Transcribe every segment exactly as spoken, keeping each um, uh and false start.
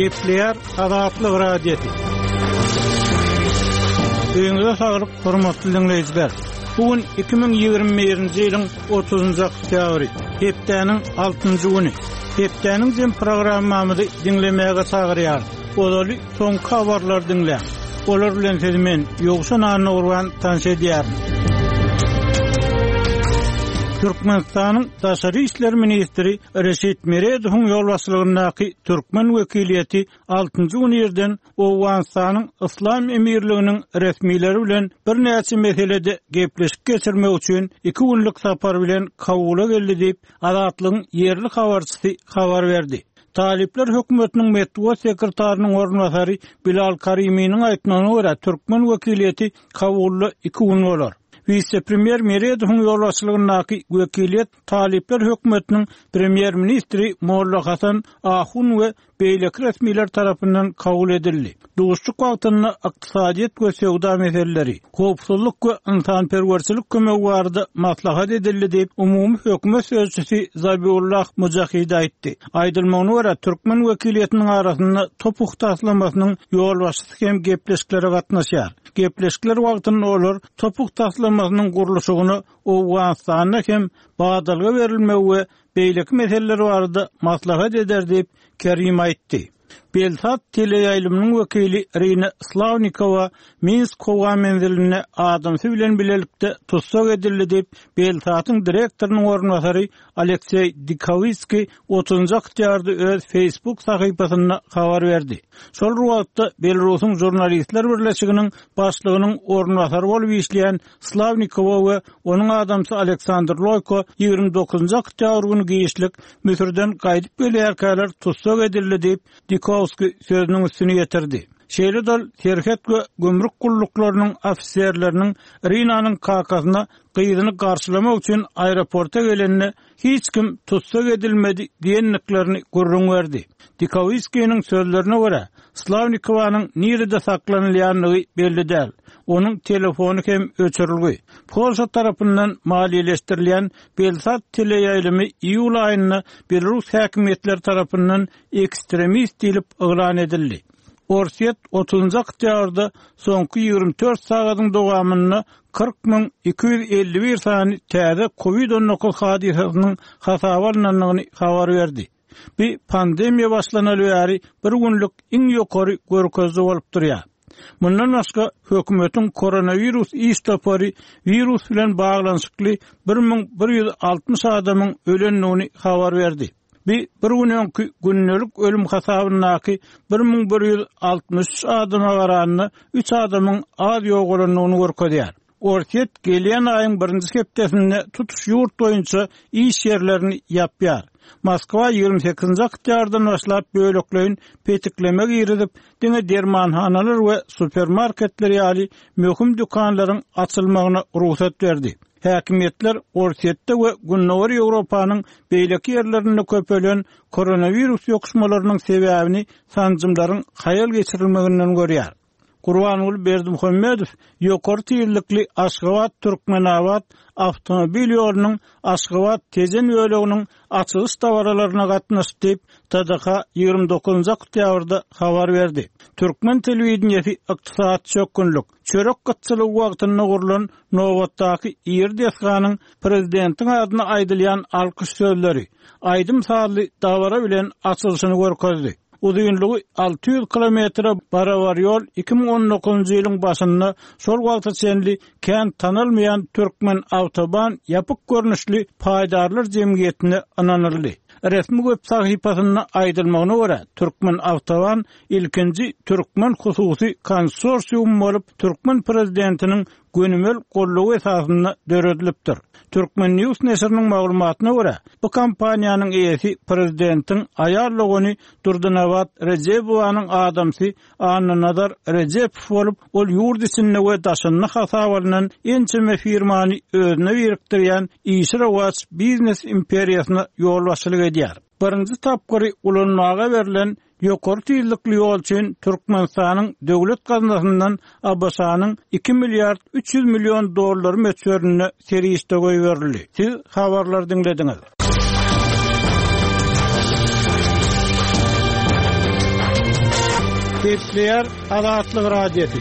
Gepleýär Azatlyk Radiosy. Öýüňize saglyk, hormatly diňleýjiler. Bu gün iki müň ýigrimi birinji ýylyň otuzynjy oktýabry, hepdäniň altynjy güni. Hepdäniň jem programmamyzy diňlemäge çagyrýar. Ozaly soňky habarlary diňläň. Olar bilen sizi men Ýowşan Annagurban tanyş edýärin. Türkmenistanyň Daşary işler ministri Reşit Meredowyň ýolbaşçylygyndaky türkmen wekiliýeti altynjy gün irden Owganystanyň Yslam Emirliginiň resmileri bilen birnäçe meselede gepleşik geçirmek üçin iki günlük sapar bilen Kabula geldi diýip, Azatlygyň ýerli habarçysy habar berdi. Talyplar hökümetiniň metbugat sekretarynyň orunbasary Bilal Kariminiň aýtmagyna görä, türkmen wekiliýeti Kabulda iki gün bolar. Wise-premýer Meredowyň ýolbaşçylygyndaky wekiliýet Talyplar hökümetiniň premýer-ministri Molla Hasan Ahun we beýleki resmiler tarapyndan kabul edildi. Duşuşyk wagtynda ykdysadyýet we söwda meseleleri, howpsuzlyk we ynsanperwerçilik kömegi barada maslahat edildi diýip, umumy hökümet sözçüsi Zabiullah Mujahid aýtdy. Aýdylmagyna görä, türkmen wekiliýetiniň arasynda Topuh taslamasynyň ýolbaşçysy hem gepleşiklere gatnaşýar. Gepleşikler wagtynda olar Topuh taslamasynyň gurluşygyna Owganystanda hem badalga berilmegi we beýleki meseleler barada maslahat eder diýip, Kerim aýtdy. Belsat teleýaýlymynyň wekili Irina Slawnikowa Minsk howa menzilinde adamsy bilen bilelikde tussag edildi diýip, Belsatyň direktorynyň orunbasary Alekseý Dikowskiý otuzynjy oktýabrda öz Facebook sahypasynda habar berdi. Şol bir wagtda Belarusyň žurnalistler birleşiginiň başlygynyň orunbasary bolup işleýän Slawnikowa we onuň adamsy Aleksandr Loýko ýigrimi dokuzynjy oktýabr güni giçlik Müsürden gaýdyp gelýärkäler tussag edildi diýip, Dikowskiý sözüniň üstüni ýetirdi. Şeýle-de ol serhet we gümrük gulluklarynyň ofiserleriniň Rinanyň kakasyna gyzyny garşylamak üçin aeroporta gelende hiç kim tussag edilmedi diýendiklerini gürrüň berdi. Dikowskiniň sözlerine görä, Slawnikowanyň nirede saklanylýandygy belli däl. Onuň telefony hem öçürilgi. Polşa tarapyndan maliýeleşdirilýän Belsat teleýaýlymy iýul aýynda Belarus häkimiýetleri tarapyndan ekstremist diýlip yglan edildi. Orsýet otuzynjy oktýabrda soňky ýigrimi dört sagadyň dowamynda kyrk müň iki ýüz elli bir sany täze covid on dokuz hadysasynyň hasaba alynandygyny habar berdi. Bu pandemiýa başlanaly bäri bir günlük iň ýokary görkeziji bolup durýar. Mundan başga hökümetiň koronawirus iş topary wirus bilen baglanyşykly bir müň bir ýüz altmyş adamyň ölendigini habar berdi. Bu bir gün öňki gündelik ölüm hasabyndaky bir müň bir ýüz altmyş üç adama garanda üç adamyň az ýogalandygyny görkezýär. Orsýet gelýän aýyň birinji hepdesinde tutuş ýurt boýunça iş ýerlerini ýapýar. Moskwa ýigrimi sekizinji oktýabrdan başlap bölekleýin petikleme girizip, diňe dermanhanalar we supermarketler ýaly möhüm dükanlaryň açylmagyna rugsat berdi. Häkimiýetler Orsýetde we Gündogar Ýewropanyň beýleki ýerlerinde köpelen koronawirus ýokuşmalarynyň sebäbini sanjymlaryň haýal geçirilmeginden görýär. Gurbanguly Berdimuhamedow ýokary tizlikli Aşgabat-Türkmenabat awtomobil ýolunyň Aşgabat-Tejen böleginiň açylyş dabaralaryna gatnaşdy diýip, T D H ýigrimi dokuzynjy oktýabrda habar berdi. Türkmen telewideniýesi ykdysady çökgünlik, çörek gytçylygy wagtynda gurlan nobatdaky iri desganyň prezidentiň adyna aýdylýan alkyş sözleri, aýdym-sazly dabara bilen açylyşyny görkezdi. Uzynlygy alty ýüz kilometre barabar ýol iki müň on dokuzynjy ýylyň başynda şol wagta çenli kän tanalmaýan Türkmen Awtoban ýapyk görnüşli paýdarlar jemgyýetine ynanyldy. Resmi web sahypasynda aýdylmagyna görä, Türkmen Awtoban ilkinji türkmen hususy konsorsium bolup, türkmen prezidentiniň gönümel gollugy esasynda döredilipdir. Türkmen News neşiriniň maglumatyna görä, bu kompaniýanyň eýesi prezidentiň aýal dogany Durdynabat Rejebowanyň adamsy Annanazar Rejebow bolup, ol ýurt içinde we daşynda hasap alynan ençeme firmany özüne birikdirýän işi rowaç biznes imperiýasyna ýolbaşçylyk edýär. Birinji tapgyry ulanmaga berlen ýokary tizlikli ýol üçin Türkmenistanyň döwlet gaznasyndan A B Ş-nyň iki milliard üç ýüz million dollar möçberinde serişde goýberildi. Siz habarlar diňlediňiz. Gepleýär Azatlyk Radiosy.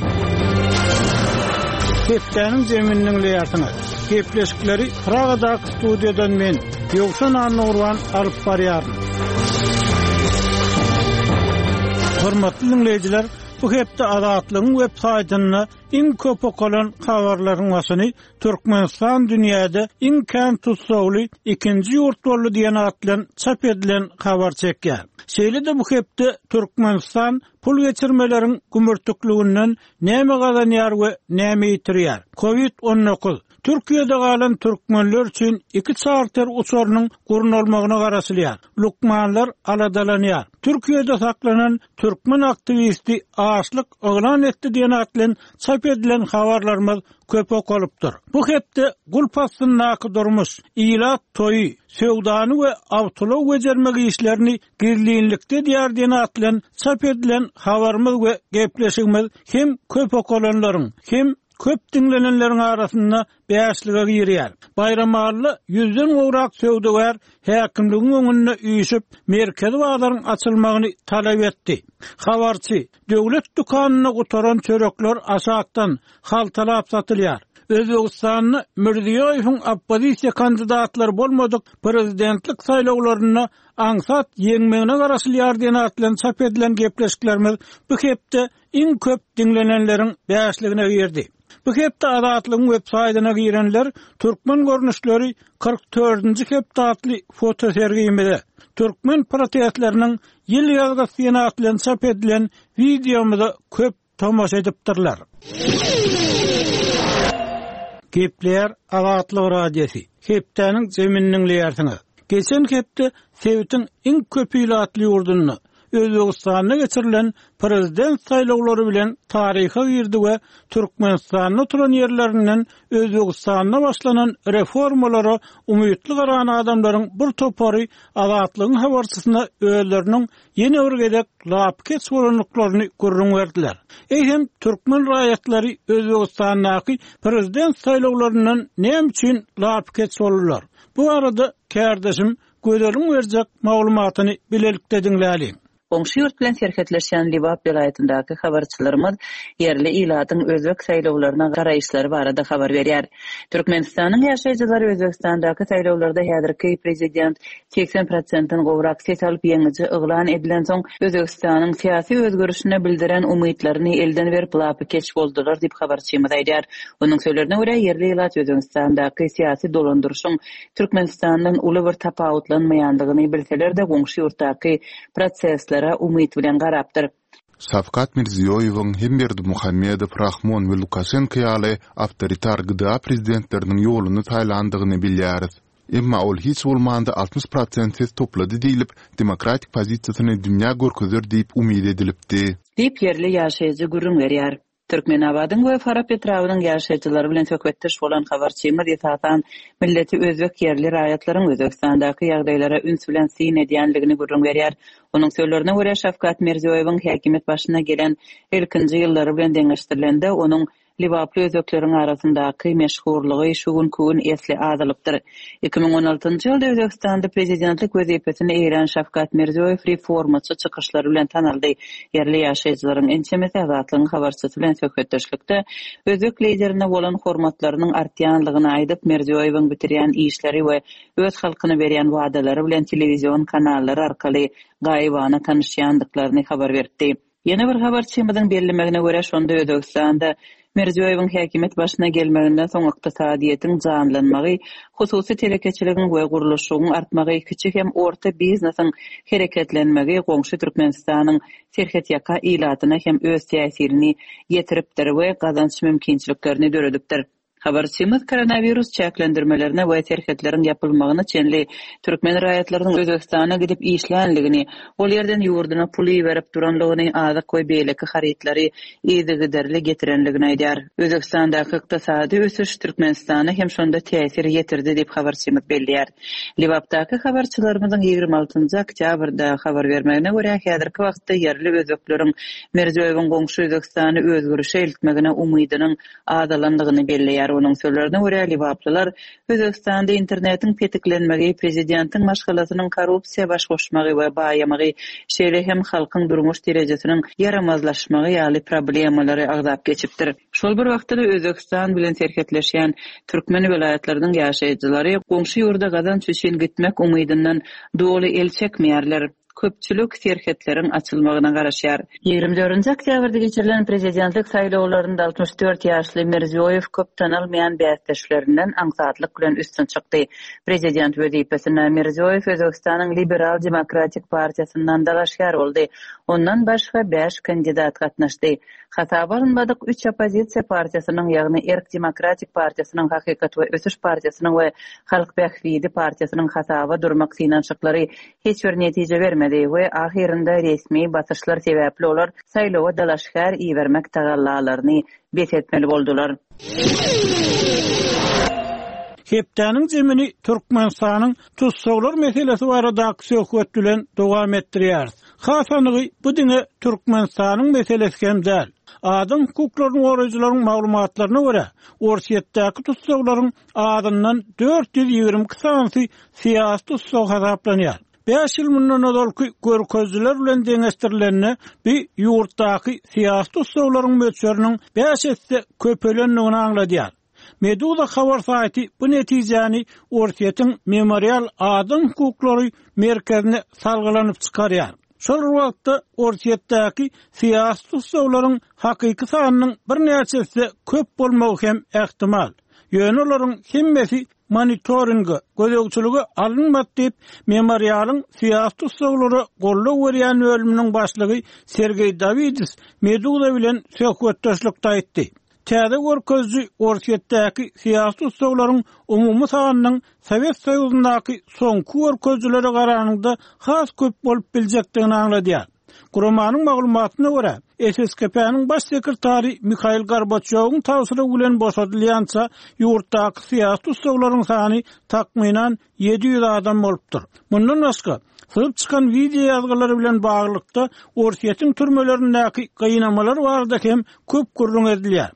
Hepdäniň zemini diňleýärsiňiz. Gepleşikleri Pragadaky studiýadan men, Ýowşan Annagurban alyp barýaryn. Hormatly diňleýjiler, bu hepde Azatlygyň web saýtynda iň köp okalan habarlaryň başyny Türkmenistan dünýäde iň kän tussagly ikinji ýurt boldy diýen at bilen çap edilen habar çekýär. Şeýle-de bu hepde Türkmenistan pul geçirmeleriň gümürtikliginden näme gazanýar we näme ýitirýär? Covid on dokuz Türkiýede galan türkmenler üçin iki çarter uçarynyň gurnalmagyna garaşylýar. Lukmanlar aladalanýar. Türkiýede saklanan türkmen aktiwisti açlyk yglan etdi diýen at bilen çap edilen habarlarymyz köp okalypdyr. Bu hepde gulp astyndaky durmuş, ilat toýy, söwdany we awtoulag bejermek işlerini gizlinlikde diýär diýen at bilen çap edilen habarymyz we gepleşigimiz hem köp okalanlaryň, hem köp diňlenenleriň arasynda bäşlige girýär. Baýramally ýüzden gowrak söwdagär häkimligiň öňünde üýşüp, merkezi bazaryň açylmagyny talap etdi. Habarçy, döwlet dükanynda gutaran çörekler aşakdan haltalap satylýar. Özbegistanda Mirziýoýewiň oppozisiýa kandidatlary bolmadyk prezidentlik saýlawlarynda aňsat ýeňmegine garaşylýar diýen at bilen çap edilen gepleşiklerimiz bu hepde iň köp diňlenenleriň bäşligine girdi. Bu hepde Azatlygyň web saýtyna girenler türkmen görnüşleri kyrk dördünji hepde atly fotosergimize, türkmen protestleriniň ýyl ýazgysy diýen at bilen çap edilen wideomyza köp tomaşa edipdirler. Gepleýär Azatlyk Radiosy. Hepdäniň zemini diňleýärsiňiz. Geçen hepde sebitiň iň köp ilatly ýurdunda Özbegistanda geçirilen prezident saýlawlary bilen taryha girdi we Türkmenistanda oturan ýerlerinden Özbegistanda başlanan reformalara umytly garan adamlaryň bir topary Azatlygyň habarçysyna özleriniň ýene bir gezek lapykeç bolanlyklaryny gürrüň berdiler. Eýsem türkmen raýatlary Özbegistandaky prezident saýlawlaryndan näme üçin lapykeç boldular? Bu arada kärdeşim Gözeliň berjek maglumatyny bilelikde diňläliň. Goňşy ýurt bilen serhetleşýän Lebap welaýatyndaky habarçylarymyz ýerli ilatyň özbek saýlawlaryna garaýyşlary barada habar berýär. Türkmenistanyň ýaşaýjylary Özbegistandaky saýlawlarda häzirki prezident seksen prosentden gowrak ses alyp ýeňiji yglan edilensoň Özbegistanyň syýasy özgerişine bildiren umytlaryny elden berip lapykeç boldular diýip habarçymyz aýdýar. Onuň sözlerine görä ýerli ilat Özbegistandaky syýasy dolandyryşyň Türkmenistandan uly bir tapawutlanmaýandygyny bilseler-de goňşy ýurtdaky proseslere umyt bilen garapdyr. Şawkat Mirziýoýewiň hem Berdimuhamedow, Rahmon we Lukaşenko ýaly awtoritar G D A prezidentleriniň ýoluny saýlandygyny bilýäris. Emma ol hiç bolmanda altmyş prosent ses toplady diýlip, demokratik pozisiýasyny dünýä görkezer diýip umyt edilipdi. Diýip ýerli ýaşaýjy gürrüň berýär. Türkmenabadyň we Farap etrabynyň ýaşaýjylary bilen söhbetdeş bolan habarçymyz esasan milleti özbek ýerli raýatlaryň Özbegistandaky ýagdaýlara üns bilen syn edýänligini gürrüň berýär. Onuň sözlerine görä Şawkat Mirziýoýewiň häkimiýet başyna gelen ilkinji ýyllary bilen deňeşdirilende onuň Lebaply özbekleriň arasyndaky meşhurlygy şu günki gün esli azalypdyr. iki müň on altynjy ýylda Özbegistanda prezidentlik wezipesini eýelän Şawkat Mirziýoýew reformaçy çykyşlary bilen tanaldy. Ýerli ýaşaýjylaryň ençemesi Azatlygyň habarçysy bilen söhbetdeşlikde özbek liderine bolan hormatlarynyň artýanlygyny aýdyp, Mirziýoýewiň bitirýän işleri we öz halkyna berýän wadalary bilen telewizion kanallary arkaly gaýybana tanyşýandyklaryny habar berdi. Ýene bir habarçymyzyň bellemegine görä şonda Özbegistanda Mirziýoýewiň häkimiýet başyna gelmeginden soň ykdysadyýetiň janlanmagy, hususy telekeçiligiň we gurluşygyň artmagy, kiçi hem orta biznesiň hereketlenmegi goňşy Türkmenistanyň serhetýaka ilatyna hem öz täsirini ýetiripdir we gazanç mümkinçiliklerini döredipdir. Habarçymyz koronawirus çäklendirmelerine we serhetleriň ýapylmagyna çenli türkmen raýatlarynyň Özbegistana gidip işlänligini, ol ýerden ýurduna pul iberip duranlygyny, azyk we beýleki harytlary yzygiderli getirenligini aýdýar. Özbegistandaky ykdysady ösüş Türkmenistana hem şonda täsir ýetirdi diýip habarçymyz belleýär. Lebapdaky habarçylarymyzyň ýigrimi altynjy oktýabrda habar bermegine görä häzirki wagtda ýerli özbekleriň Mirziýoýewiň goňşy Özbegistany özgerişe eltmegine umydynyň azalandygyny belleýär. berýär. Onuň sözlerine görä, lebaplylar Özbegistanda internetiň petiklenmegi, prezidentiň maşgalasynyň korrupsiýa baş goşmagy we baýamagy, şeýle hem halkyň durmuş derejesiniň ýaramazlaşmagy ýaly problemalary agzap geçipdir. Şol bir wagtda-da Özbegistan bilen serhetleşýän türkmen welaýatlarynyň ýaşaýjylary goňşy ýurda gazanç üçin gitmek umydyndan doly el çekmeýärler. Köpçülik serhetleriň açylmagyna garaşýar. Ýigrimi dördünji oktýabrda geçirilen prezidentlik saýlawlarynda altmyş dört ýaşly Mirziýoýew köp tanalmaýan bäsdeşlerinden aňsatlyk bilen üstün çykdy. Prezident wezipesine Mirziýoýew Özbegistanyň Liberal demokratik partiýasyndan dalaşgär boldy. Ondan başga bäş kandidat gatnaşdy. Hasaba alynmadyk üç oppozisiýa partiýasynyň, ýagny Erk demokratik partiýasynyň, Hakykat we ösüş partiýasynyň we Halk bähbidi partiýasynyň hasaba durmak synanyşyklary hiç bir netije bermedi we ahyrynda resmi basyşlar sebäpli olar saýlawa dalaşgär ibermek tagallalaryny bes etmeli boldular. Hepdäniň zemini Türkmenistanyň tussaglar meselesi baradaky söhbet bilen dowam etdirýäris. Hasanygy bu diňe Türkmenistanyň meselesi hem däl. Adam hukuklaryny goraýjylaryň maglumatlaryna görä, Orsýetdäki tussaglaryň azyndan dört ýüz ýigrimi iki sanysy syýasy tussag hasaplanýar. Bäş ýyl mundan ozalky görkezijiler bilen deňeşdirilende, bu ýurtdaky syýasy tussaglaryň möçberiniň bäş esse köpelendigini aňladýar. Meduza habar saýty bu netijäni Orsýetiň Memorial adam hukuklary merkezine salgylanyp çykarýar. Şol bir wagtda Orsýetdäki syýasy tussaglaryň hakyky sanynyň birnäçe esse köp bolmagy hem ähtimal. Ýöne olaryň hemmesi monitoringe, gözegçilige alynmady diýip, Memorialyň syýasy tussaglara goldaw berýän bölüminiň başlygy Sergeý Dawidis Meduza bilen söhbetdeşlikde aýtdy. Täze görkeziji Orsýetdäki syýasy tussaglaryň umumy sanynyň Sowet Soýuzyndaky soňky görkezijilere garanyňda has köp bolup biljekdigini aňladýar. Guramanyň maglumatyna görä, S S K P-niň baş sekretary Mihail Gorbaçýowyň tabşyrygy bilen boşadylýança ýurtdaky syýasy tussaglaryň sany takmynan ýedi ýüz adam bolupdyr. Mundan başga, syzyp çykan wideo ýazgylary bilen baglylykda Orsýetiň türmelerindäki gynamalar barada hem köp gürrüň edilýär.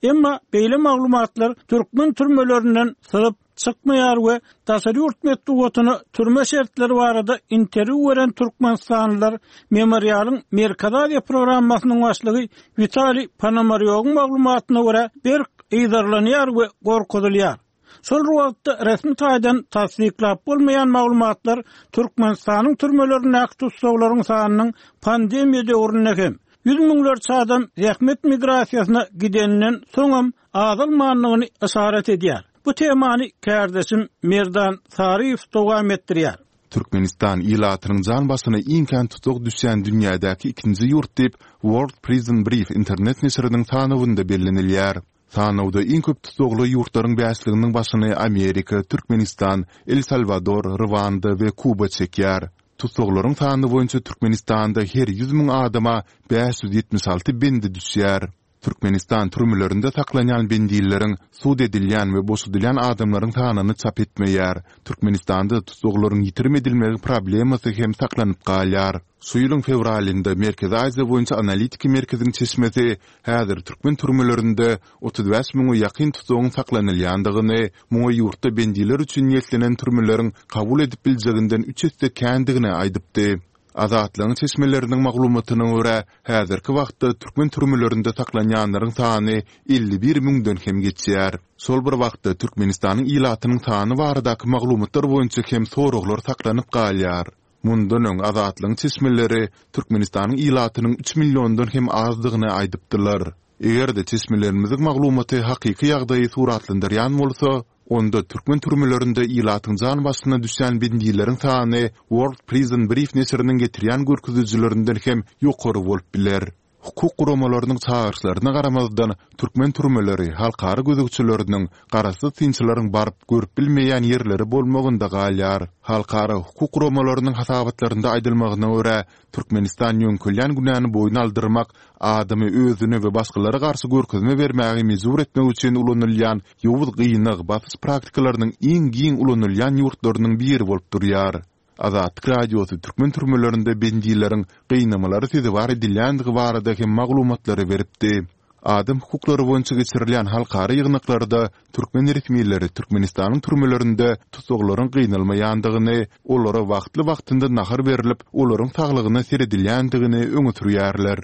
Emma beýle maglumatlar türkmen türmelerinden syzyp çykmaýar we daşary ýurt metbugatyna türme şertleri barada interwýu beren Türkmenistanlylar Memorialyň Merkezi Aziýa programmasynyň başlygy Witaliý Ponomarýowyň maglumatyna görä berk yzarlanýar we gorkuzylýar. Şol bir wagtda resmi taýdan tassyklap bolmaýan maglumatlar Türkmenistanyň türmelerindäki tussaglaryň sanynyň pandemiýa döwründe hem ýüz müňlerçe adam zähmet migrasiýasyna gideninden soňam azalmandygyny yşarat edýär. Bu temany kardeşim Merdan Saryýew dowam etdirýär. Türkmenistan ilatynyň jan başyna iň kän tussag düşýän dünýädäki ikinji ýurt diýip World Prison Brief internet neşiriniň sanawynda bellenilýär. Sanawda iň köp tussagly ýurtlaryň bäşliginiň başyny Amerika, Türkmenistan, El Salvador, Rwanda we Kuba çekýär. Tussaglaryň sany boýunça Türkmenistanda her ýüz müň adama bäş ýüz ýetmiş alty bendi düşýär. Türkmenistan türmelerinde saklanýan bendileriň sud edilýän we boşadylýan adamlaryň sanyny çap etmeýär. Türkmenistanda tussaglaryň ýitirim edilmegi problemasy hem saklanyp galýar. Şu ýylyň fewralynda Merkezi Aziýa boýunça analitiki merkeziň çeşmesi häzir türkmen türmelerinde otuz bäş müňe ýakyn tutsagyň saklanylýandygyny, muňa ýurtda bendiler üçin niýetlenen türmeleriň kabul edip biljeginden üç esse kändigini aýdypdy. Azatlygyň çeşmeleriniň maglumatyna görä, häzirki wagtda türkmen türmelerinde saklanýanlaryň sany elli bir müňden hem geçýär. Şol bir wagtda Türkmenistanyň ilatynyň sany baradaky maglumatlar boýunça hem soraglar saklanyp galýar. Mundan öň Azatlygyň çeşmeleri Türkmenistanyň ilatynyň üç milliondan hem azdygyny aýdypdylar. Eger-de çeşmelerimiziň maglumaty hakyky ýagdaýy suratlandyrýan bolsa, onda türkmen türmelerinde ilatyň jan başyna düşýän bendileriň sany World Prison Brief neşiriniň getirýän görkezijilerinden hem ýokary bolup biler. Hukuk guramalarynyň çagyryşlaryna garamazdan türkmen türmeleri halkara gözegçileriniň garaşsyz synçylaryň baryp görüp bilmeýän ýerleri bolmagynda galýar. Halkara hukuk guramalarynyň hasabatlarynda aýdylmagyna görä, Türkmenistan ýöňkülýän günäni boýun aldyrmak, adamy özüne we başgalara garşy görkezme bermäge mejbur etmek üçin ulanylýan ýowuz gynag basyş praktikalarynyň iň giň ulanylýan ýurtlarynyň biri bolup durýar. Azatlyk Radiosy türkmen türmelerinde bendileriň gynamalary sezewar edilýändigi barada hem maglumatlary beripdi. Adam hukuklary boýunça geçirilýän halkara ýygnaklarda türkmen resmileri Türkmenistanyň türmelerinde tussaglaryň gynalmaýandygyny, olara wagtly-wagtynda nahar berlip, olaryň saglygyna seredilýändigini öňe sürýärler.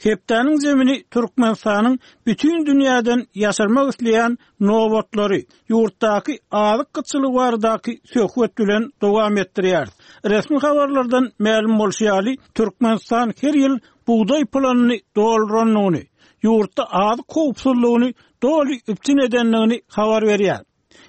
Hepdäniň zemini Türkmenistanyň bütin dünýäden ýaşyrmak isleýän nobatlary, ýurtdaky azyk gytçylygy baradaky söhbet bilen dowam etdirýär. Resmi habarlardan mälim bolşy ýaly, Türkmenistan her ýyl bugdaý planyny dolduranyny, ýurtda azyk howpsuzlygyny doly üpjün edendigini habar berýär.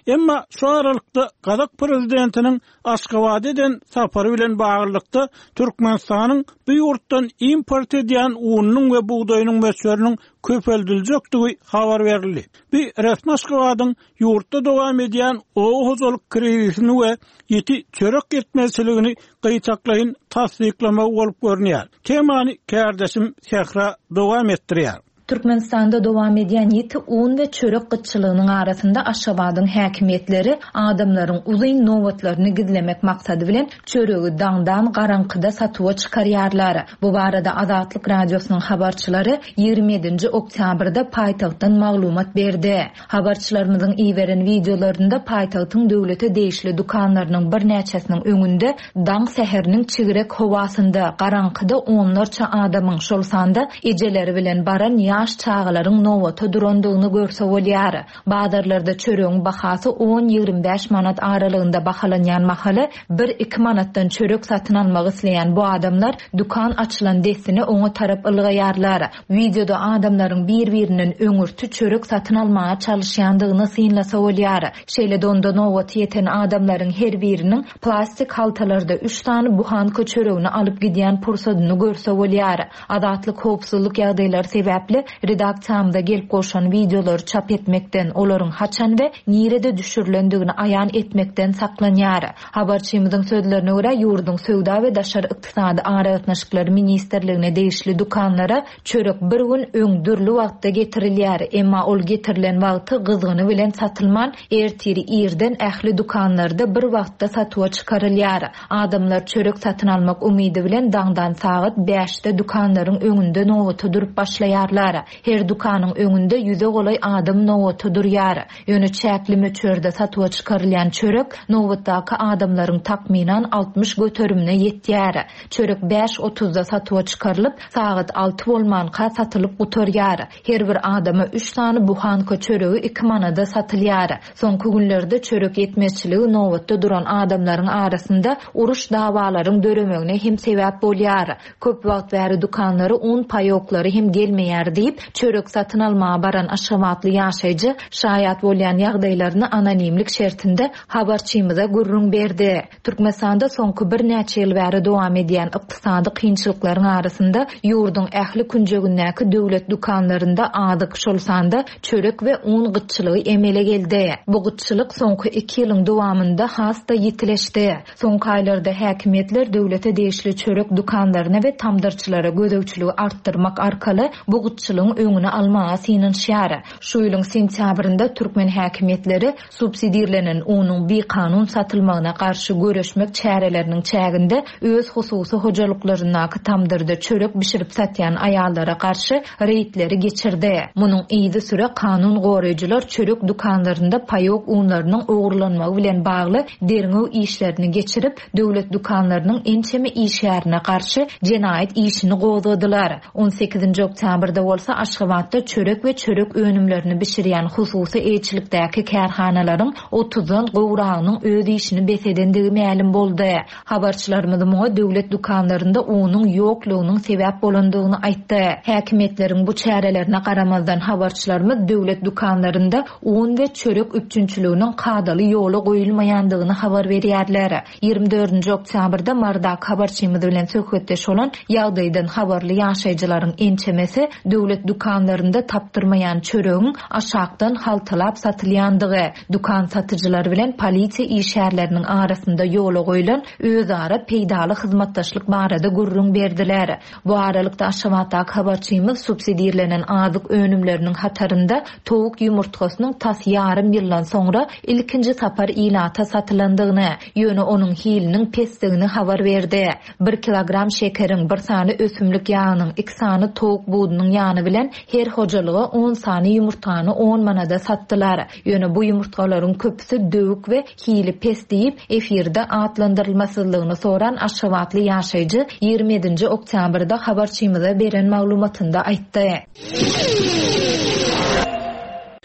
Emma şu aralykda Gazak prezidentiniň Aşgabat eden safary bilen baglylykda Türkmenistanyň bu ýurtdan import edýän ununyň we bugdaýynyň möçberiniň köpeldiljekdigi habar berildi. Bu resmi Aşgabadyň ýurtda dowam edýän oba hojalyk krizisini we ýiti çörek ýetmezçiligini gyýtaklaýyn tassyklamagy bolup görünýär. Temany kärdeşim Sähra dowam etdirýär. Türkmenistanda dowam edýän ýiti un we çörek gytçylygynyň arasynda Aşgabadyň häkimiýetleri adamlaryň uzyn nobatlaryny gizlemek maksady bilen çöregi daňdan garaňkyda satuwa çykarýarlar. Bu barada Azatlyk radiosynyň habarçylary ýigrimi ýedinji oktýabrda paýtagtdan maglumat berdi. Habarçylarymyzyň iberen wideolarynda paýtagtyň döwlete degişli dükanlarynyň birnäçesiniň öňünde daň säheriniň çigrek howasynda garaňkyda onlarça adamyň, şol sanda ejeleri bilen baran ýaş çagalaryň nobata durandygyny görse bolýar. Bazarlarda çöregiň bahasy on ýigrimi bäş manat aralygynda bahalanýan mahaly bir iki manatdan çörek satyn almak isleýän bu adamlar dükan açylan dessine oňa tarap ylgaýarlar. Wideoda adamlaryň bir-birinden öňürti çörek satyn almaga çalışýandygyny synlasa bolýar. Şeýle-de onda nobaty ýeten adamlaryň her biriniň plastik haltalarda üç sany buhanka çöregini alyp gidýän pursadyny görse bolýar. Azatlyk howpsuzlyk ýagdaýlary sebäpli redaksiýamyza gelip goşan wideolary çap etmekden, olaryň haçan we nirede düşürilendigini aýan etmekden saklanýar. Habarçymyzyň sözlerine görä ýurduň söwda we daşary ykdysady aragatnaşyklary ministrligine degişli dükanlara çörek bir gün öň dürli wagtda getirilýär. Emma ol getirilen wagty gyzgyny bilen satylman, ertiri irden ähli dükanlarda bir wagtda satuwa çykarylýar. Adamlar çörek satyn almak umydy bilen daňdan sagat bäşde dükanlaryň öňünde nobata durup başlaýarlar. Her dükanyň öňünde ýüze golaý adam nobata durýar. Ýöne çäkli möçberde satuwa çykarylýan çörek nobatdaky adamlaryň takmynan altmyş göterimine ýetýär. Çörek bäş otuzda satuwa çykarylyp, sagat alty bolmanka satylyp gutarýar. Her bir adama üç sany buhanka çöregi iki manada satylýar. Soňky günlerde çörek ýetmezçiligi nobatda duran adamlaryň arasynda uruş dawalaryň döremegine hem sebäp bolýar. Köp wagt bäri dükanlara un paýoklary hem gelmeýär diýip, çörek satyn almaga baran Aşgabatly ýaşaýjy şaýat bolýan ýagdaýlaryny anonimlik şertinde habarçymyza gürrüň berdi. Türkmenistanda soňky birnäçe ýyl bäri dowam edýän ykdysady kynçylyklaryň arasynda ýurduň ähli künjegindäki döwlet dükanlarynda azyk, şol sanda çörek we un gytçylygy emele geldi. Bu gytçylyk soňky iki ýylyň dowamynda has-da ýitileşdi. Soňky aýlarda häkimiýetler döwlete degişli çörek dükanlaryna we tamdyrçylara gözegçiligi artdyrmak arkaly bu gytçylygyň öňüni almaga synanyşýar. Şu ýylyň sentýabrynda türkmen häkimiýetleri subsidirlenen unuň bikanun satylmagyna garşy göreşmek çäreleriniň çäginde öz hususy hojalyklaryndaky tamdyrda çörek bişirip satýan aýallara garşy reýdleri geçirdi. Munuň yzy süre kanun goraýjylar çörek dükanlarynda paýok unlarynyň ogurlanmagy bilen bagly derňew işlerini geçirip, döwlet dükanlarynyň ençeme işgärine garşy jenaýat işini gozgadylar. on sekizinji oktýabrda bolsa Aşgabatda çörek we çörek önümlerini bişirýän hususy eýçilikdäki kärhanalaryň otuzdan gowragynyň öz işini bes edendigi mälim boldy. Habarçylarymyz muňa döwlet dükanlarynda unuň ýoklugynyň sebäp bolandygyny aýtdy. Häkimiýetleriň bu çärelerine garamazdan habarçylarymyz döwlet dükanlarynda un we çörek üpjünçiliginiň kadaly ýola goýulmaýandygyny habar berýärler. ýigrimi dördünji oktýabrda Mardak habarçymyz bilen söhbetdeş bolan ýagdaýdan habarly ýaşaýjylaryň ençemesi döwlet Döwlet dükanlarynda tapdyrmaýan çöregiň aşakdan haltalap satylýandygy, dükan satyjylary bilen polisiýa işgärleriniň arasynda ýola goýlan özara peýdaly hyzmatdaşlyk barada gürrüň berdiler. Bu aralykda Aşgabatdaky habarçymyz subsidirlenen azyk önümleriniň hatarynda towuk ýumurtgasynyň tas ýarym ýyldan soňra ilkinji sapar ilata satylandygyny, ýöne onuň hiliniň pesdigini habar berdi. Bir kilogram şekeriň, bir sany ösümlik ýagynyň, iki sany towuk budunyň ýany bilen her hojalyga on sany ýumurtgany on manada satdylar. Ýöne bu ýumurtgalaryň köpüsi döwük we hili pes diýip, efirde atlandyrylmasyzlygyny soran Aşgabatly ýaşaýjy ýigrimi ýedinji oktýabrda habarçymyza beren maglumatynda aýtdy.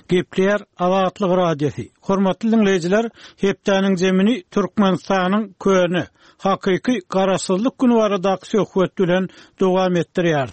Gepler Azatlyk Radiosy. Hormatly dinleýjiler, hepdäniň zemini Türkmenistanyň köne, hakyky garaşsyzlyk güni baradaky söhbet bilen dowam etdirýär.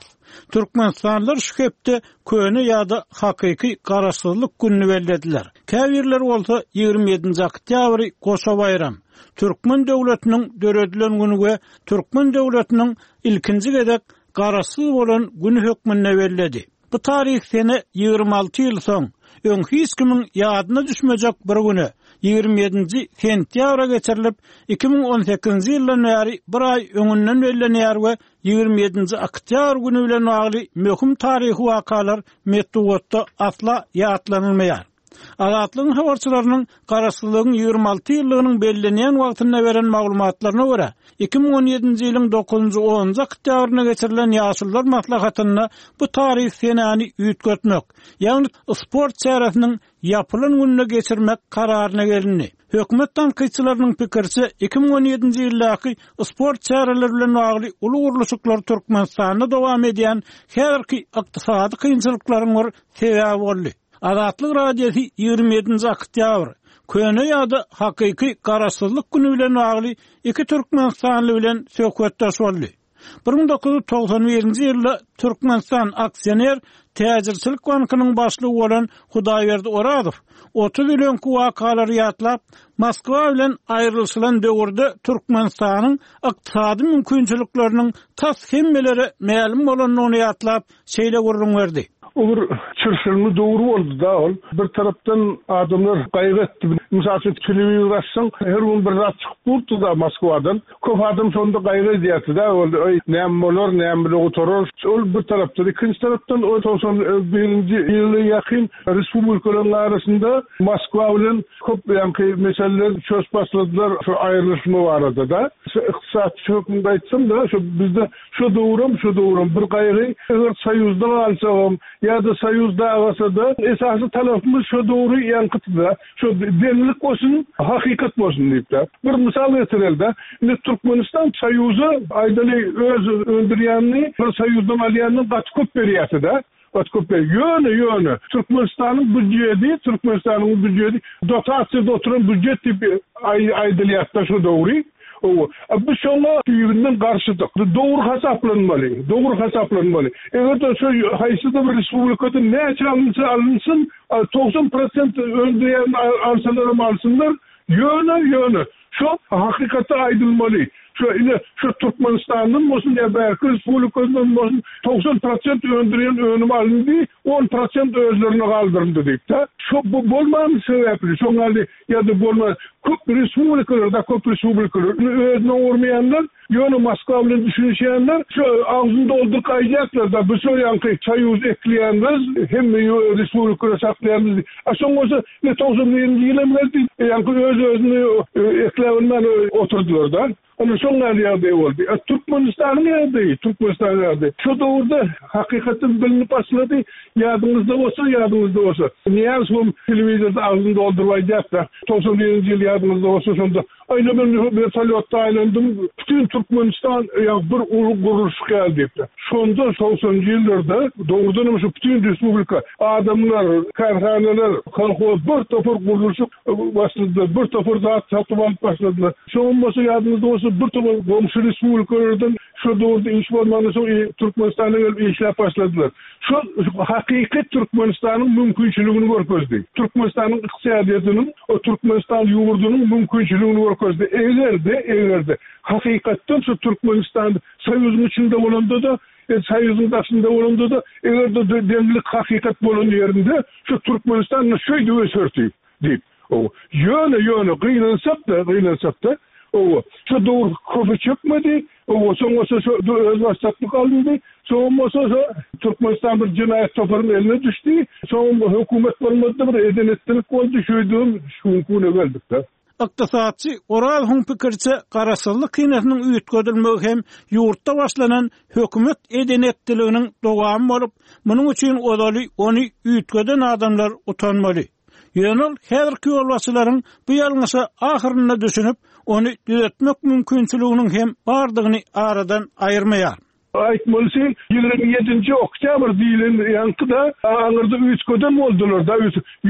Türkmenistanlylar şu hepde köne ýa-da hakyky garaşsyzlyk gününi bellediler. Käbirler bolsa ýigrimi ýedinji oktýabry goşa baýram, Türkmen döwletiniň döredilen günü we Türkmen döwletiniň ilkinji gezek garaşsyz bolan günü hökmünde belledi. Bu tarih sene ýigrimi alty ýyl soň, öň hiç kimiň ýadyna düşmejek bir güne, ýigrimi ýedinji sentýabra geçirilip, iki müň on sekizinji ýyldan bäri bir aý öňünden bellenýär we ýigrimi ýedinji oktýabr günü bilen bagly möhüm taryhy wakalar metbugatda asla ýatlanylmaýar. Azatlygyň habarçylarynyň garaşsyzlygyň ýigrimi alty ýyllygynyň bellenýän wagtynda beren maglumatlaryna görä, iki müň on ýedinji ýylyň dokuzynjy onunjy oktýabrynda geçirilen ýaşulular maslahatynda bu taryh senäni üýtgetmek, ýagny sport çäresiniň ýapylan gününe geçirmek kararyna gelindi. Hökümet tankytçylarynyň pikirçe iki müň on ýedinji ýyldaky sport çäreleri bilen bagly uly gurluşyklar Türkmenistanda dowam edýän häzirki ykdysady kynçylyklaryň bir sebäbi boldy. Azatlyk Radiosy ýigrimi ýedinji oktýabr köne ýa-da hakyky garaşsyzlyk günü bilen bagly iki Türkmenistanly bilen söhbetdeş boldy. Bir müň dokuz ýüz togsan birinji ýylda Türkmenistan Aksioner Täjirçilik bankynyň başlygy bolan Hudaýberdi Orazow otuz ýyl öňki wakalary ýatlap, Moskwa bilen aýrylyşylan döwürde Türkmenistanyň ykdysady mümkinçilikleriniň tas hemmelere mälim bolandygyny ýatlap, şeýle gürrüň berdi. O bir çırşırmy döwri boldy da ol. Bir tarapdan adamlar gaýgy etdi. Mysal üçin telewizor açsaň, her gün bir zat çykyp durdy da Moskwadan. Köp adam şonda gaýgy edýärdi da, ol, Ey, näme bolar, näme bile gutarar. Ol bir tarapdan, ikinji tarapdan o togsan birinji ýyla ýakyn respublikalaryň arasynda Moskwa bilen köp ýaňky meseleler söz başladylar şu aýrylyşma barada da. Şu ykdysatçy hökmünde aýtsam da, şu bizde şu döwrüm, şu döwrüm bir gaýgy, eger soýuzda galsagam ýa-da soýuz dagasa da esasy talapymyz şu döwri ýaňkytdy-da, şu deňlik bolsun, hakykat bolsun diýip-de. Bir mysal getireli-de, indi Türkmenistan soýuza aýdaly öz öndürýänini bir soýuzdan alýanyny gaty köp berýärdi-de. Gaty köp berýär. Ýöne, ýöne Türkmenistanyň býujeti, Türkmenistanyň býujeti dotasiýada oturan býujet diýip aý-, aýdylýar-da şu döwri. O, a bu şoňa düýbünden garşydyk. Dogry hasaplanmaly, dogry hasaplanmaly. Eger-de şu haýsy-da bir respublikada näçe alynsa alynsyn, a, togsan prosent öndürýän alsalar hem alsynlar, ýöne, ýöne şu hakykatda aýdylmaly. Şu ine şu Türkmenistandan bolsun ýa bärki respublikadan bolsun togsan prosent öndürýän önüm alyndy, on prosent özlerine galdyryldy diýip-de. Şu bu bolman sebäpli, şoň ýaly ýa-da bolman köp respublikalarda, köp respublikalar özüne urmaýanlar, ýöne Moskwa bilen düşünişýänler, şu agzyny dolduryp aýdýarlar da, bu şu ýaňky soýuz ekleýänler, hemme respublikalar saklaýanlar. A şoň bolsa ne togsan birinji ýyl hem geldi, ýaňky öz-özüni, e, ekläbilmän oturdylar da. Ona şoň ýaly ýagdaý boldy. E, Türkmenistanyň ýagdaýy, Türkmenistanyň ýagdaýy. Şu döwürde hakykatdan bilinip başlady. Ýadyňyzda bolsa, ýadyňyzda bolsa. Niýaz hem telewizorda agzyny dolduryp aýdýardy. Togsan birinji ýyl ýadyňyzda bolsa şonda Aýna ben vertolýotda aýlandym. Bütün Türkmenistan ýa bir uly gurluşyk geldi diýipdi. Şonda togsanjy ýyllarda dogrudan hem şu bütün respublika adamlar, kärhanalar, kolhoz bir topar gurluşyk başladylar, bir topar zat satyp alyp başladylar. Şoň bolsa ýadyňyzda bolsa bir topar goňşy respublikalardan şu döwürde iş bolmandan soň Türkmenistana gelip işläp başladylar. Şu hakyky Türkmenistanyň mümkinçiligini görkezdi. Türkmenistanyň ykdysadyýetiniň, o Türkmenistan ýurdunyň mümkinçiligini görkezdi. Eger-de, eger-de hakykatdan şu Türkmenistan soýuzyň içinde bolanda da E, Soýuzyň daşynda bolanda-da, eger-de deňlik hakykat bolan ýerinde şu Türkmenistan şeýdi öserdi diýip. O ýöne ýöne gynansak-da, gynansak-da, o şu döwür köpe çökmedi. O soň bolsa şu özbaşdaklyk alyndy. Soň bolsa şu Türkmenistan bir jenaýat toparynyň eline düşdi. Soň hökümet bolmady, bir eden-etdilik boldy, şeýdibem şu güne geldik-de. Ykdysatçy Orazowyň pikiriçe garaşsyzlyk senesiniň üýtgedilmegi hem ýurtda başlanan hökümet eden-etdiliginiň dowamy bolup, munuň üçin ozaly ony üýtgeden adamlar utanmaly. Ýöne ol häzirki ýolbaşçylaryň bu ýalňyşa ahyrynda düşünip, ony düzetmek mümkinçiliginiň hem bardygyny aradan aýyrmaýar. Aýtmalysy ýigrimi ýedinji oktýabr diýlen ýaňky-da aňyrda üýtgeden boldular da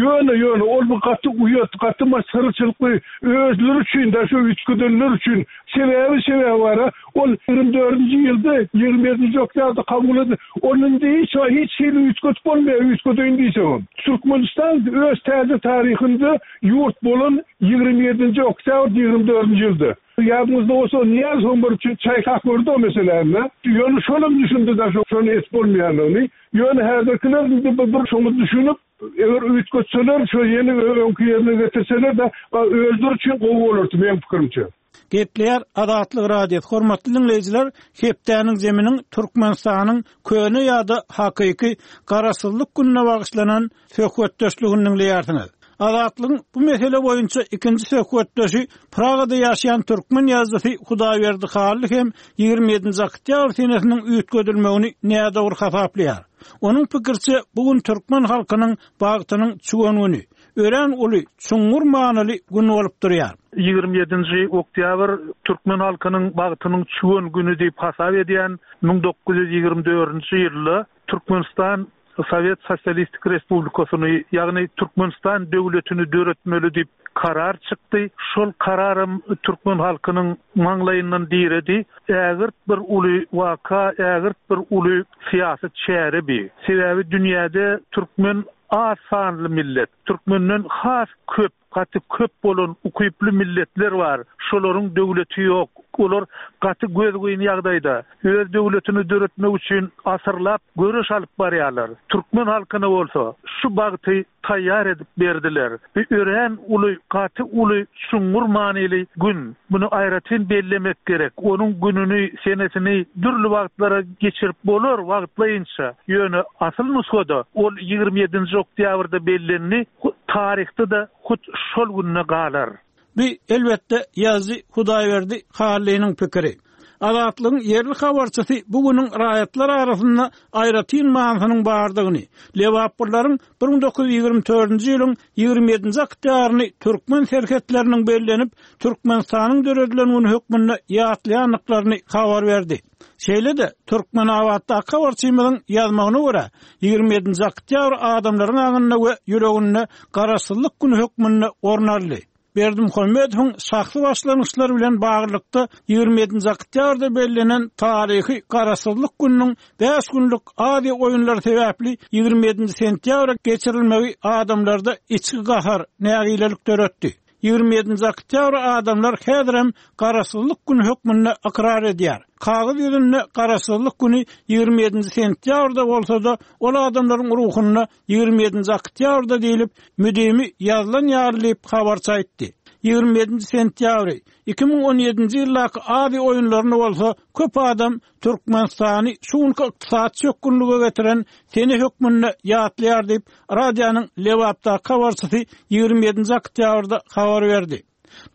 ýöne ýöne ol bu gaty uýat, gaty masgaraçylykly özleri üçin da şu üýtgedenler üçin sebäbi sebäbi bara ol ýigrimi dördünji ýylda ýigrimi ýedinji oktýabrda kabul edildi. Onun hiç hiç hili üýtgetip bolmaýar, üýtgedeýin diýsegem. Türkmenistan öz täze taryhynda ýurt bolan ýigrimi ýedinji oktýabr ýigrimi dördünji ýylda. Ýadymyzda bolsa Niýazow bir üçin çaýkak gördi o meseläni. Ýöne şolam düşündi da şony et bolmaýanlygyny. Ýöne häzirkiler indi bir, bir şoňa düşünip, eger üýtgetseler, şo ýene öňki ýerine getirseler de özleri üçin gowy bolardy meň pikirimçe. Gepleýär Azatlyk Radiosy. Hormatly dinleýjiler, hepdäniň zeminiň Türkmenistanyň köne ýa-da hakyky garaşsyzlyk gününe bagyşlanan söhbetdeşligini dinleýärsiňiz. Azatlygyň bu mesele boýunça ikinji söhbetdeşi Pragada ýaşaýan türkmen ýazyjysy Hudaýberdi Hally hem ýigrimi ýedinji oktýabr senesiniň üýtgedilmegini nädogry hasaplaýar. Onuň pikiriçe bu gün türkmen halkynyň bagtynyň çüwen güni, örän uly, çuňňur manyly gün bolup durýar. Ýigrimi ýedinji oktýabr türkmen halkynyň bagtynyň çüwen güni diýip hasap edýän müň dokuz ýüz ýigrimi dördünji ýylda Türkmenistan Sowet Sosialistik Respublikasyny, ýagny Türkmenistan döwletini döretmeli diýip karar çykdy. Şol kararym türkmen halkynyň maňlaýyndan diredi. Ägirt bir uly waka, ägirt bir uly syýasy çäre bi. Sebäbi dünýäde türkmen az sanly millet, türkmenden has köp, gaty köp bolan ukyply milletler bar. Şolaryň döwleti ýok. Olar gaty gözgyny ýagdaýda öz döwletini döretmek üçin asyrlap göreş alyp barýarlar. Türkmen halkyna bolsa şu bagty taýýar edip berdiler. Bu örän uly, gaty uly, çuňňur manyly gün. Bunu aýratyn bellemek gerek. Onuň gününi, senesini dürli wagtlara geçirip bolar wagtlaýynça. Ýöne asyl nusgada ol ýigrimi ýedinji oktýabrda bellendi, taryhda da hut şol gününe galar. Bu elbetde ýazyjy Hudaýberdi Hallynyň pikiri. Azatlygyň ýerli habarçysy bu günüň raýatlar arasynda aýratyn manysynyň bardygyny, Lebaplylaryň bir müň dokuz ýüz ýigrimi dördünji ýylyň ýigrimi ýedinji oktýabryny türkmen serhetleriniň bellenip, Türkmenistanyň döredilen güni hökmünde ýatlaýandyklaryny habar berdi. Şeýle-de Türkmenabatdaky habarçymyzyň ýazmagyna görä, ýigrimi ýedinji oktýabr adamlaryň aňynda we ýüreginde garaşsyzlyk güni hökmünde orun aldy. Berdimuhamedowyň şahsy başlangyçlary bilen baglylykda ýigrimi ýedinji oktýabrda bellenen taryhy garaşsyzlyk gününiň bäş günlük Aziýa oýunlary sebäpli ýigrimi ýedinji sentýabra geçirilmegi adamlarda içki gahar, nägilelik döretdi. Ýigrimi ýedinji oktýabr adamlar häzirem garaşsyzlyk güni hökmünde ykrar edýär. Kagyz ýüzünde garaşsyzlyk güni ýigrimi ýedinji sentýabrda bolsa-da, ol adamlaryň ruhunda ýigrimi ýedinji oktýabrda diýlip, müdimi ýazylan ýaly diýip habarçy aýtdy. Ýigrimi ýedinji sentýabry iki müň on ýedinji ýyldaky Aziýa oýunlaryny bolsa köp adam Türkmenistany şu günki ykdysady çökgünlige getiren sene hökmünde ýatlaýar diýip, radionyň Lebapdaky habarçysy ýigrimi ýedinji oktýabrda habar berdi.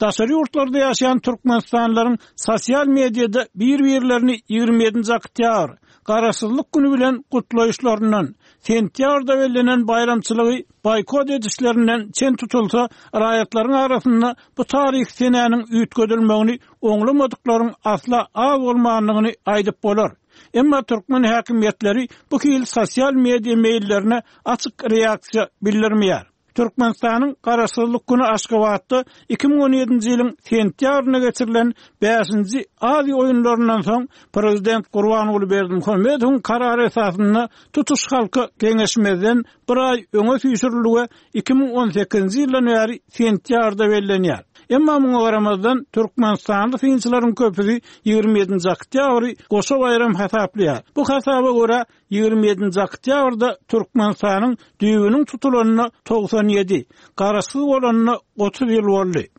Daşary ýurtlarda ýaşaýan Türkmenistanlylaryň sosial mediada bir-birlerini ýigrimi ýedinji oktýabr Garaşsyzlyk güni bilen gutlaýyşlaryndan, sentýabrda bellenen baýramçylygy boýkot edişlerinden çen tutulsa, raýatlaryň arasynda bu taryh senäniň üýtgedilmegini oňlamadyklaryň asla az bolmandygyny aýdyp bolar. Emma türkmen häkimiýetleri bu hil sosial media meýillerine açyk reaksiýa bildirmeýär. Türkmenistanyň Garaşsyzlyk güni Aşgabatda iki müň on ýedinji ýylyň sentýabrynda geçirilen bäşinji Aziýa oýunlaryndan soň Prezident Gurbanguly Berdimuhamedowyň karary esasynda tutuş halka geňeşmezden bir aý öňe süýşürildi we iki müň on sekizinji ýyldan bäri sentýabrda bellenýär. Emma muňa garamazdan türkmenistanly synçylaryň köpüsi ýigrimi ýedinji oktýabry goşa baýram hasaplaýar. Bu hasaba görä, ýigrimi ýedinji oktýabrda Türkmenistanyň düýbüniň tutulanyna togsan ýedi, garaşsyz bolanyna otuz ýyl boldy.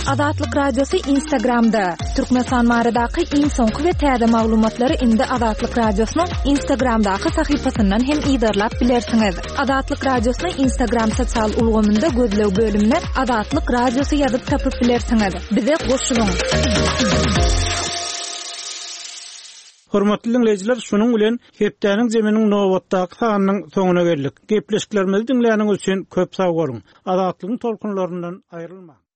Azatlyk Radiosy Instagramda. Türkmenistan baradaky iň soňky we täze maglumatlary indi Azatlyk Radiosynyň Instagramdaky sahypasyndan hem yzarlap bilersiňiz. Azatlyk Radiosyny Instagram sosial ulgamynda gözleg bölümine Azatlyk Radiosy ýazyp tapyp bilersiňiz. Bize goşulyň! Hormatly diňleýjiler, şunuň bilen hepdäniň zeminiň nobatdaky sanynyň soňuna geldik. Gepleşiklerimizi diňläniňiz üçin köp sag boluň. Azatlygyň tolkunlaryndan aýrylmaň.